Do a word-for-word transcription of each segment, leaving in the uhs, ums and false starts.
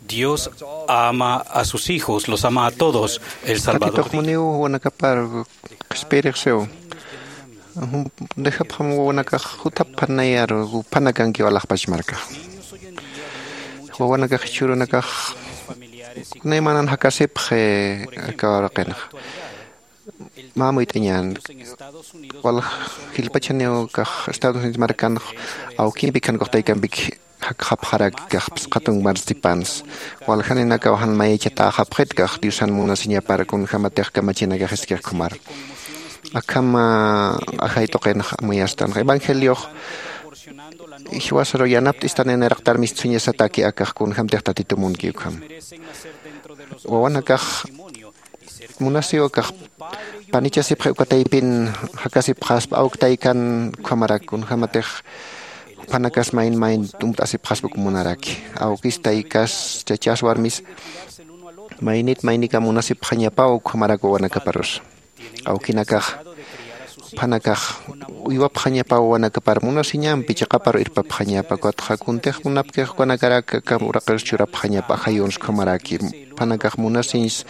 Dios ama a sus hijos, los ama a todos. El Salvador dijo. Muniw wanakapar qhispiyirixsiw. Dejapxam wawanakax juthapxanayar uphanakankiw alaxpach markax. Wawanakax jichhürunakax naymanan jakasipxi aka uraqinxa. Mä amuyt'añän. Wal jilpachaniw kax Estados Unidos markanx awkimpi khankuxtaykampik jakxapxaraki kax phisqhatunk marsipansa. Waljaninakaw jan mayachatäxapxit kax Diosan munasiñapar kunjämatix kamachinakax iskixkhumar. Akham ajay tuqinx amuyastan evangeliox jiwasaru yanapt'istan nayraqtar mistsuñasataki akax kunjämtix Tatitu munki ukham. Wawanakax munasiw akax panichasipxi uka taypin jakasipxaspa awk taykan ukhamarak kunjämatix juphanakas mayn mayn tumpt'asipxaspa uk munaraki. Awkis taykas chachas warmis maynit maynikam munasipxañapaw ukhamarak wawanakaparus. Awkinakax juphanakax uywapxañapaw wawanakapar munasiñampi chiqaparu irpapxañapa ukatxa kuntix munapkix ukanakarak aka uraqirus churapxañapa ajayuns ukhamaraki. Juphanakax munasiñs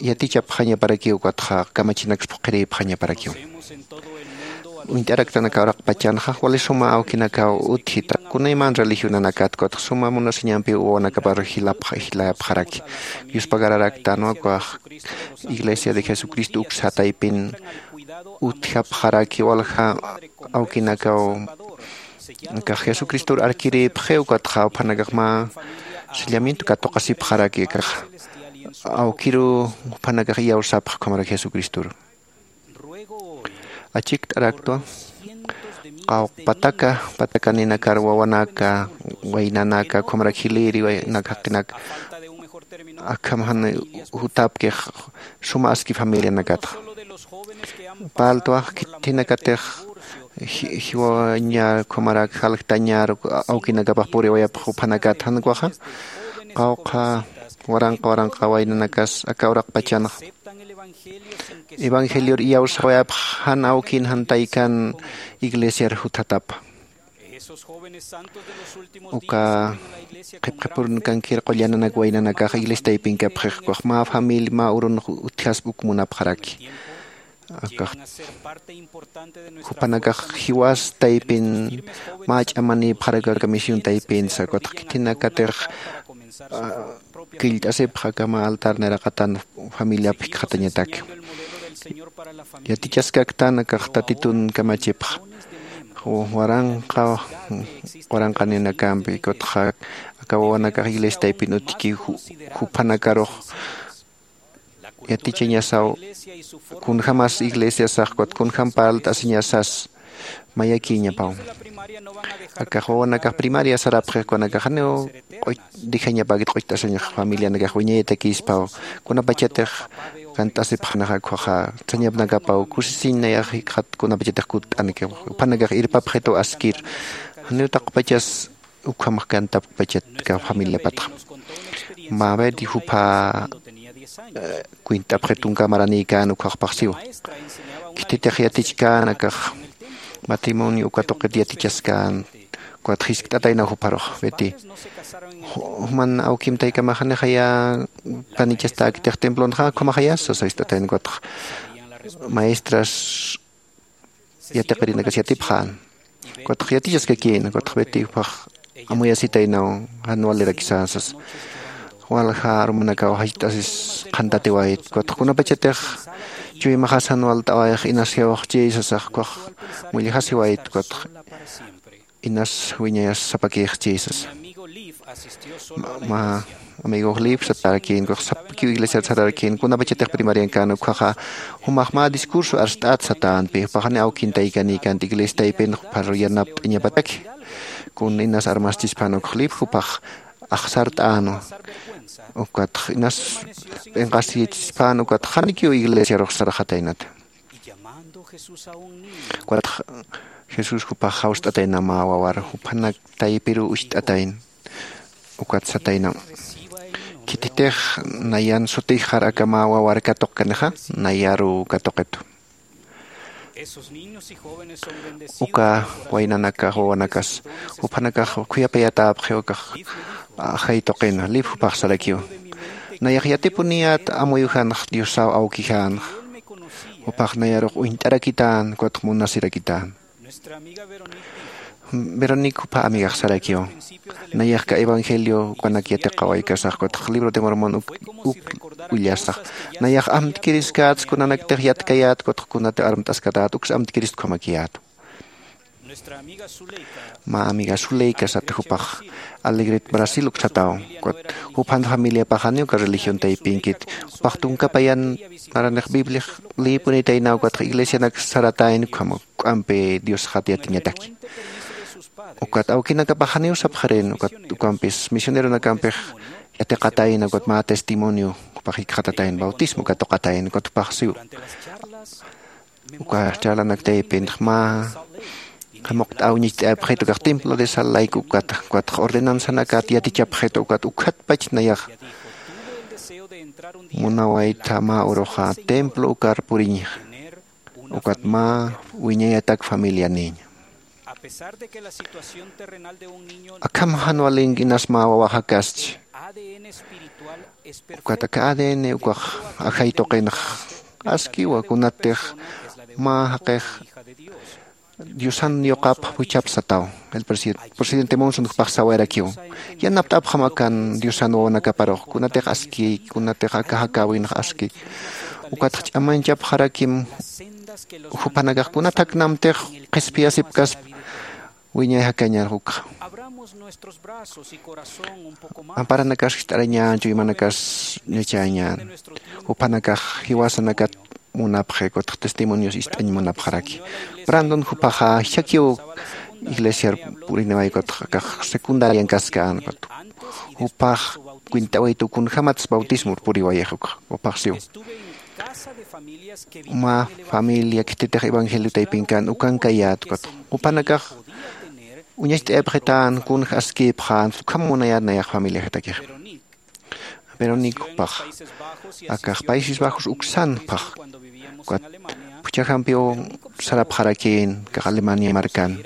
yatichapxañaparakiw ukatxa kamachinaks phuqhirïpxañaparakiw. Uñt'araktan aka uraqpachanxa wali suma awkinakaw utjita kunayman religionanakatxa ukatxa suma munasiñampiw wawanakapar jilapxa jilayapxaraki. Yuspagararaktanwa ukax Iglesia de Jesucristo uksa taypin utjapxaraki walja awkinakaw akax Jesucristor arkirïpxi ukatxa juphanakax mä sellamiento katuqasipxaraki akax awkiru juphanakax iyawsapxi ukhamarak Jesucristor. Achikt'araktwa qawqpataka patakaninakar wawanaka waynanaka ukhamarak jilïri waynak jaqinak akham jan jutapkix suma aski familianakatxa. Parltwa khitinakatix jiwañar ukhamarak jaljtañar awkinakapax puriwayapx juphanakat jan ukaxa qawqha waranqa waranqa waynanakas aka uraqpachanxa evangelior iyawsawayapx jan awkin jan taykan iglesiar juthatapa. Uka qhipqhipurunkankir qullananak waynanakax iglesia taypinkapxix ukax mä familia mä urunx utjaspa uk munapxaraki. Akax jupanakax jiwas taypin mä ch'amanïpxarak aka misión taypinsa ukatxa khitinakatix killt'asipxa aka mä altar nayraqatan familiap jikxatañatak. Yatichaskaktan akax tatitun kamachipxa waranqa waranqaninakampi ukatxa aka wawanakax iglesia taypin utjki jupanakarux yatichañasaw kunjämas iglesiasax ukat kunjäm parlt'asiñasas mayakïñapaw. Akax wawanakax primaria sarapxix ukanakax janiw q'uch dejañapäkit q'ucht'asiñax familianakax wiñayatakïspaw kunapachatix kant'asipxanaxa ukkhaxa sañapnakapaw kusisiñ nayax jikxat kunapachatix kutt'anakax juphanakax irpapxituw askir janiw taqpachas ukhamax kantapkpachat aka familiapatxa. Mä beti jupha kwint'apxi tunka maranïkän ukkhaxpax siwa khititix yatichkän akax matrimonio uka tuqit yatichaskän ukat jiskt'ataynaw jupharux beti juman awkim taykamax janixaya panichastäkitix templonxa ukhamaxaya sasa jiskt'atayna ukatxa maestras yatiqirinakas yatipxän ukatxa yatichaskakïna ukatxa beti juphax amuyasitaynaw jan walirakisa sasa walja arumanakaw jach't'asis qhantatiwayt ukatxa kunapachatix chuymaxas jan walt'awayx inas jiwxchi sasax ukkhax mullajasiwayt ukatxa inas wiñayas sapakïxchi sasa mä amigox lif satarakïn ukkhax sapakiw iglesiar satarakïn kunapachatix primariankän ukkhaxa jumax mä discurso arst'at satänpi jupaxani awkin taykanïkänti iglesia taypin jupharu yanapt'añapataki kun inas armaschispan ukx lif jupax axsart'änwa ukatx inas p'inqasiyachispan ukatx janikiw iglesiarux sarxataynata ukatx jesús jupax jawst'atayna mä wawar juphanak taypiruw ucht'atayna ukat satayna khititix nayan sutixar aka mä wawar katuqkanixa nayaruw katuqitu Uka waynanakax wawanakas juphanakax khuyapayatapxiw akax ajay tuqina lip jupax sarakiw. Nayax yatipuniyät amuyujanx diosaw awkijänx. Jupax nayarux uñt'arakitän ukatx munasirakitäna. Veronique jupha amigax sarakiw. Nayaxka evangelio ukanak yatiqawaykasax ukatx libro de mormon uk ullasax. Nayax amtkiriskats kunanaktix yatkayät ukatx kunatix armt'askatät uks amtkirist ukhamakiyätu. Mä amiga suleika sata jupax alegret brasil uksataw. Ukat juphan familiapaxaniw uka religion taypinkit. Jupax tunka payan maranix bibliax lïpunitaynaw ukatx iglesianak saratayn ukham k'ampi diosxat yatiñataki. Ukat awkinakapax janiw sapxirin ukat ukampis misioneronakampix yatiqatayna ukat mä testimonio jupax jikxatatayn bautismo katuqatayna ukat jupax siw. Uka charlanak taypintx mä jamuqt'aw ñicht'ayapxit ukax templo de sal layku ukata ukatx ordenanzanakat yatichapxit ukat ukhatpach nayax munawaytha mä uruxa templo ukar puriñixa. Ukat mä wiñayatak familianiña. Akham jan walink'inas mä wawaxakaschi. Ukat aka adn ukax ajay tuqinx askiwa kunatix mä jaqix diosan yuqap juchap sataw. El presidente monson jupax sawayarakiw, yanapt'apxam akan diosan wawanakaparux kunatix aski kunatix aka jakäwinx aski. Ukatx ch'amañchapxarakim juphanakax kunat jaknamtix qhispiyasipkaspa. Wiñay jakañar jukxa amparanakax ist'arañan chuymanakas ñachañan. Juphanakax jiwasanakat munapxi ukatx testimonios ist'añ munapxaraki. Brandon jupaxa jichhakiw iglesiar puriniway ukatx akax secundarian kaskän ukatx jupax kwint'awaytu kunjämatsa bautismor puriwayix ukxa jupax siw. Mä familia khititix evangelio taypinkän ukankayät ukatx juphanakax uñacht'ayapxitän kunja askïpxän ukham munayät nayax familiajatakix. Veronique jupax akax paises bajos uksan phax ukat phuchhajampiw sarapxarakïn akax alemania markan.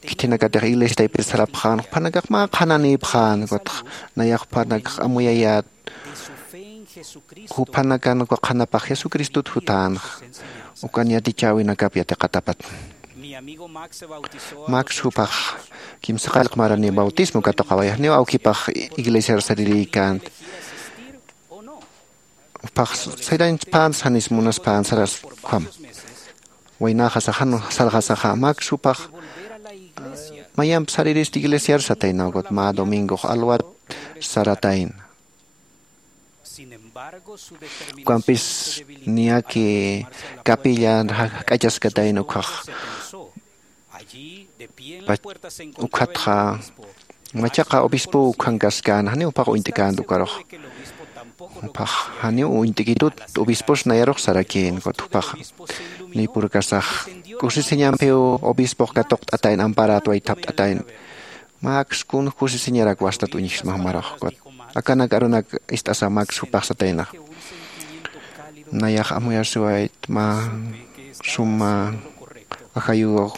Khithinakatix iglesia taypir sarapxän juphanakax mä qhananïpxän ukatx nayax juphanakax amuyayät juphanakan uka qhanapax jesucristot jutänxa. Ukan yatichäwinakap yatiqatapat max jupax kimsa qallq marani bautismo katuqawayxniw awkipax iglesiar sarirïkänti. Jupax sayrañchpänsa janis munaspänsarasa ukham waynaxasaxa jan sarxasaxa max jupax mayamp sariristi iglesiar satayna ukat mä domingox alwat saratayna. Ukampis niyaki capilla jak'achaskatayna ukhax ukhatxa machaqa obispow ukhankaskäna janiw jupax uñt'känta ukarux. Jupax janiw uñt'kitut obispos nayarux sarakïn ukat jupaxa nïpurkasax kusisiñampiw obispox katuqt'atayna amparat waythapt'atayna. Max kun kusisiñarak wastat uñjisma jumarux ukat akanak arunak ist'asa max jupax sataynax. Nayax amuyasiwayt mä suma ajayuw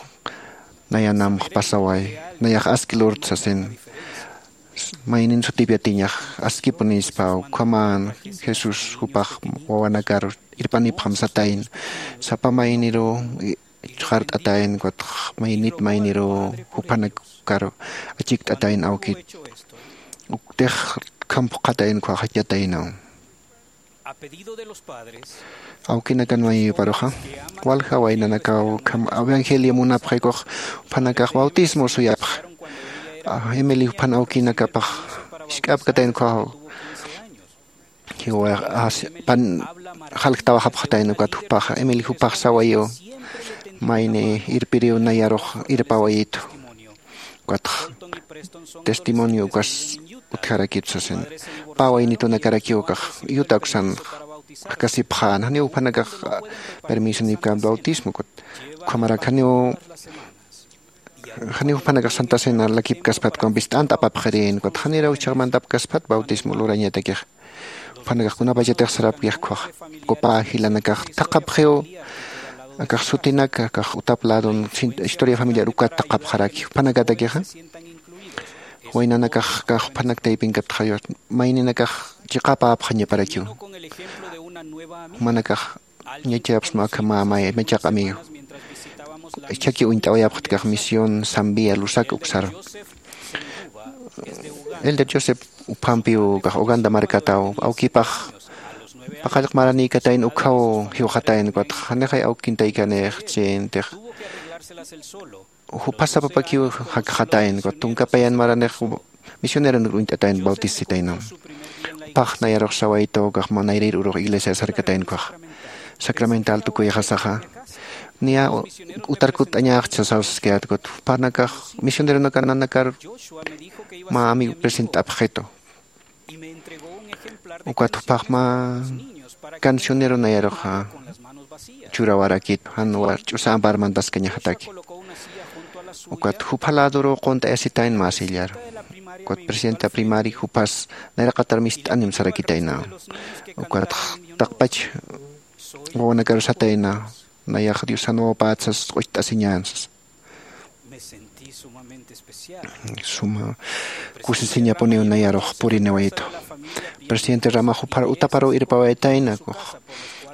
nayanamx pasaway nayax aski lurta sasin. Maynin sutip yatiñax askipunispa ukhaman jesús jupax wawanakar irpanipxam satayna. Sapa mayniruw chxart'atayna ukatx maynit mayniruw juphanakar achikt'atayna awkit uktix khamp qhatayna ukhaxachataynaw. Awkinakan mayiyuparuxa walja waynanakaw ukham evangelio munapxi ukhax juphanakax bautismo suyapxi. Emeli juphan awkinakapax jisk'apkatayna ukhaxaw jiwax pan jalktawaxapxatayna ukat jupaxa emeli jupax sawayiw mayni irpiriw nayarux irpawayitu. Ukatx testimonio ukas utjarakitu sasin pä waynitunakarakiw ukax yuta uksan jakasipxän janiw juphanakax permiso nipkän bautismo ukat ukhamarak janiw janiw juphanakax santa cena lakipkaspat ukampis t'ant apapxirin ukat janiraw jichhax mantapkaspat bautismo lurañatakix. Juphanakax kunapachatix sarapkix ukhax copa jilanakax thaqhapxiw Akax sutinak akax utap ladon historia familiar ukat taqapxaraki juphanakatakixa. Waynanakax akax juphanak taypinkaptxayux mayninakax chiqapäpxañaparakiw. Jumanakax ñachayapxsma akhamä may machaq amigo. Ichhaki uñt'awayapxtkax misión zambia lusak uksar. Elder joseph uphampiw kax uganda markataw awkipax paqallq maranïkatayna ukkhaw jiwxatayna ukatxa janixay awkintaykanix chintix juphasa papakiw jakxatayna ukat tunkapayan maranix misioneronir uñt'atayna bautisitaynaw. Jupax nayarux sawaytaw kax mä nayrïr urux iglesiar sarkatayna ukhaxa sacramental tukuyxasaxa niya utar kutt'añaxchi sasaw saskayät ukat juphanakax misioneronaka nanakar mä amigo present'apxitu. Ukat jupax mä cancionero nayaruxa churawarakitu jan ch'usa ampar mantaskañaxataki. Ukat jupha ladoruw qunt'ayasitayna mä sillar. Ukat presidenta primari juphas nayraqatar mist'anim sarakitaynaw. Ukat taqpach wawanakaru satayna nayax diosan wawpät sas q'ucht'asiñän sas. Suma kusisiñapuniw nayarux puriniwaytu. Presidente rama juphar utaparuw irpawaytayna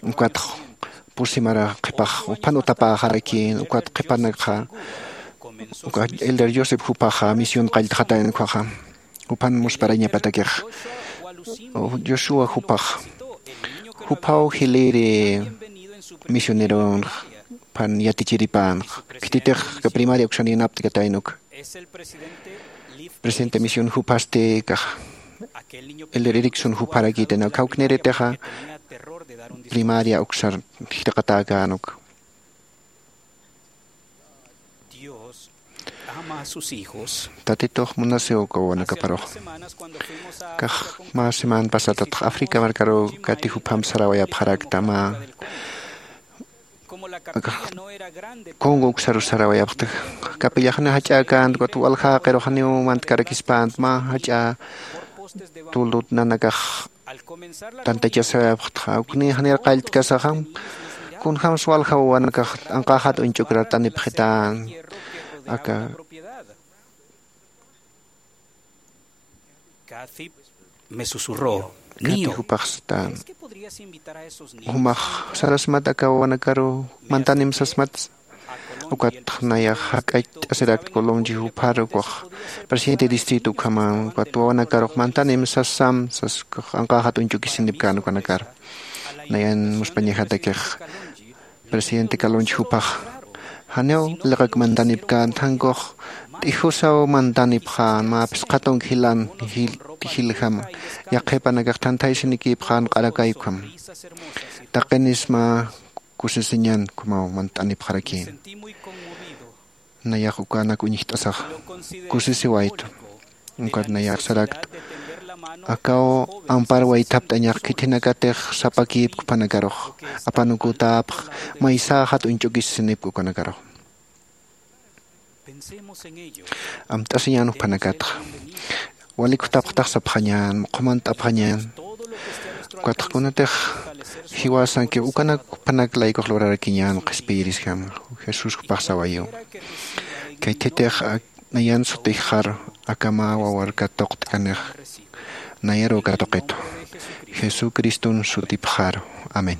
ukatx pusimara qhipax juphan utapäxarakïn ukat qhipanakxa uka elder joseph juphaxa misión qalltxatayna ukhaxa juphan musparañapatakix. Joshua juphax juphaw jilïri misioneronx juphan yatichiripänx khititix primaria uksan yanapt'katayna uka. Presidente misión juphasti kax elder erikson jupharakïtayna khawkniritixa primaria uksar jitaqatäkän uka. Tatitux munasiw uka wawanakaparux. Kax mä semana pasatatx africa markaruw kati jupham sarawayapxarakta mä. Akax congo uksaru sarawayapxta. Kapillaxani jach'äkänta ukat walja jaqirux janiw mantkarakispänt mä jach'a tuldut nanakax tantachasawayapxtxa ukni janir qalltkasaxam. Kunjämsa walja wawanakax anqäxat uñch'ukrar t'anipxitän aka. Kathy me susurró, niño, jupax satan. ¿Crees que podrías invitar a esos niños? Jumax sarasmat aka wawanakaru mantanim sasmat. Ukat nayax jak'acht'asirakt colomchi jupar ukax presidente distrito ukhaman ukat wawanakarux mantanim sasam sas ukax anqäxat uñch'ukisinipkän ukanakar. Nayan muspañajatakix presidente kalunchi jupax janiw liqak mantanipkän thankux t'ijusaw mantanipxän mä phisqa tunka jilan jiljam. Yaqhipanakax thanthaysinikiipxän q'arakay ukham. Taqinisma kusisiñan ukhamaw mant'anipxarakïn. Nayax ukanak uñjt'asax kusisiwaytu. Ukat nayax sarakt akaw ampar waythapt'añax khithinakatix sapakïpk juphanakarux apanukutäpx maysäxat uñch'ukisisinipk ukanakarux. Amt'asiñän juphanakatxa walik jutapxtax sapxañän muqhumant'apxañän. Ukatx kunatix jiwasankix ukanak juphanak laykux lurarakiñän qhispiyirisjam. Jesús jupax sawayiw khaythitix nayan sutixxaru akamä wawar katuqt'kanix nayaruw katuqitu jesucriston sutipxaru. Amén.